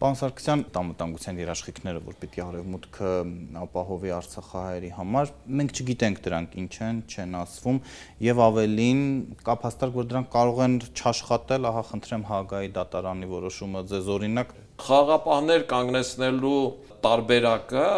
Պարոն Սարգսյան, անվտանգության երաշխիքները, որ պիտի Արևմուտքը ապահովի արցախահայերի համար, մենք չգիտենք դրանք ինչ են, չեն ասվում, եւ ավելին կա փաստարկ, որ դրանք կարող են չաշխատել, ահա խնդրեմ Հաագայի դատարանի որոշումը ձեզ օրինակ։ Խաղաղապահներ կանգնեցնելու տարբերակը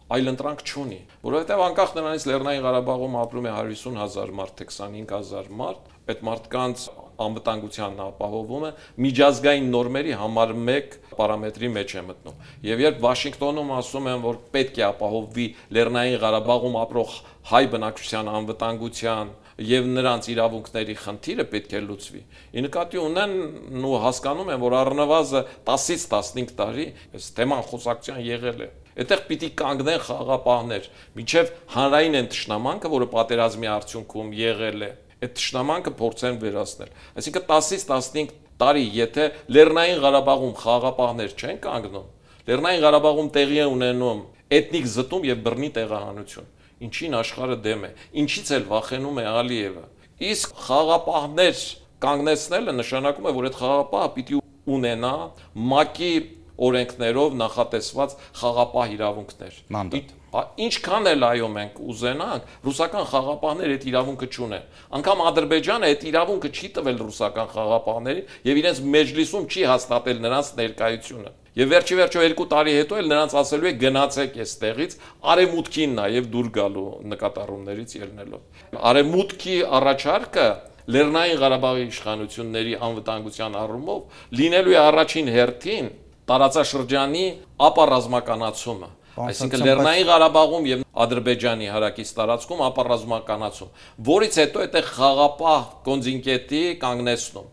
այլընտրանք չունի, որովհետև անկախ նրանից Լեռնային Ղարաբաղում ապրում է 150,000 մարդ, թե 25,000 մարդ, այդ մարդկանց անվտանգությանն ապահովումը միջազգային նորմերի համար մեկ պարամետրի մեջ է մտնում։ Եվ երբ Վաշինգտոնում ասում են, որ պետք է ապահովվի Լեռնային Ղարաբաղում ապրող հայ բնակչության անվտանգության եւ նրանց իրավունքների խնդիրը պետք է լուծվի։ Ի նկատի ունեն ու հասկանում են, որ առնվազն 10-ից 15 տարի այս թեման խոսակցության եղել է։ Այդտեղ պիտի կանգնեն խաղաղապահներ, մինչև հանրային են թշնամանքը, որը պատերազմի արդյունքում եղել է, այդ թշնամանքը փորձեն վերացնել։ Այսինքն 10-ից 15 տարի, եթե Լեռնային Ղարաբաղում խաղաղապահներ չեն կանգնում, Լեռնային Ղարաբաղում տեղի է ունենում էթնիկ զտում եւ բռնի տեղահանություն, ինչին աշխարհը դեմ է, ինչից էլ վախենում է Ալիևը։ Իսկ խաղաղապահներ կանգնեցնելը նշանակում է, որ այդ խաղաղապահը պիտի ունենա ՄԱԿ-ի օրենքներով նախատեսված խաղաղապահ իրավունքներ։ Ինչքան էլ այո մենք ուզենանք, ռուսական խաղաղապահները այդ իրավունքը չունեն։ Անկամ Ադրբեջանը այդ իրավունքը չի տվել ռուսական խաղաղապահներին եւ իրենց մեջլիսում չի հաստատել նրանց ներկայությունը։ Եվ վերջի 2 տարի հետո էլ նրանց ասելու է գնացեք այստեղից արևմուտքին նաեւ դուր գալու նկատառումներից ելնելով։ Արևմուտքի առաջարկը Լեռնային Ղարաբաղի իշխանությունների անվտանգության առումով լինելու է առաջին հերթին տարածաշրջանի ապառազմականացումը, այսինքն Լեռնային Ղարաբաղում եւ Ադրբեջանի հարակից տարածքում ապառազմականացում, որից հետո այդտեղ խաղաղապահ կոնտինգենտի կանգնեցնում։